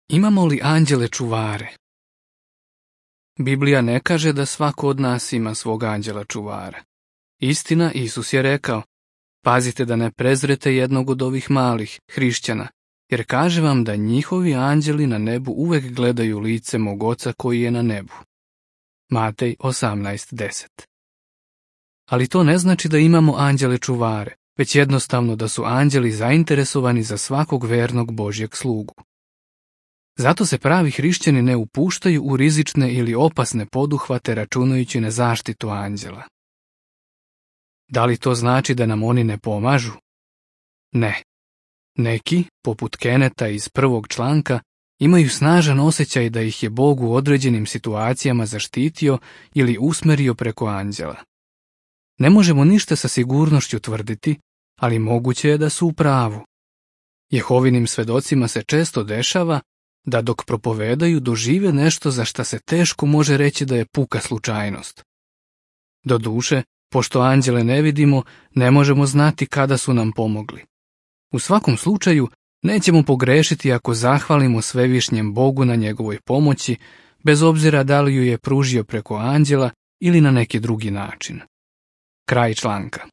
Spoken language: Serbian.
Imamo li anđele čuvare? Biblija ne kaže da svako od nas ima svog anđela čuvara. Istina, Isus je rekao, pazite da ne prezrete jednog od ovih malih hrišćana, jer kaže vam da njihovi anđeli na nebu uvek gledaju lice mog Oca koji je na nebu. Matej 18:10. Ali to ne znači da imamo anđele čuvare, već jednostavno da su anđeli zainteresovani za svakog vernog Božjeg slugu. Zato se pravi hrišćani ne upuštaju u rizične ili opasne poduhvate računajući na zaštitu anđela. Da li to znači da nam oni ne pomažu? Ne. Neki, poput Keneta iz 1. članka, imaju snažan osjećaj da ih je Bog u određenim situacijama zaštitio ili usmerio preko anđela. Ne možemo ništa sa sigurnošću tvrditi, ali moguće je da su u pravu. Jehovinim svedocima se često dešava da dok propovedaju dožive nešto za šta se teško može reći da je puka slučajnost. Doduše, pošto anđele ne vidimo, ne možemo znati kada su nam pomogli. U svakom slučaju, nećemo pogrešiti ako zahvalimo svevišnjem Bogu na njegovoj pomoći, bez obzira da li ju je pružio preko anđela ili na neki drugi način. Kraj članka.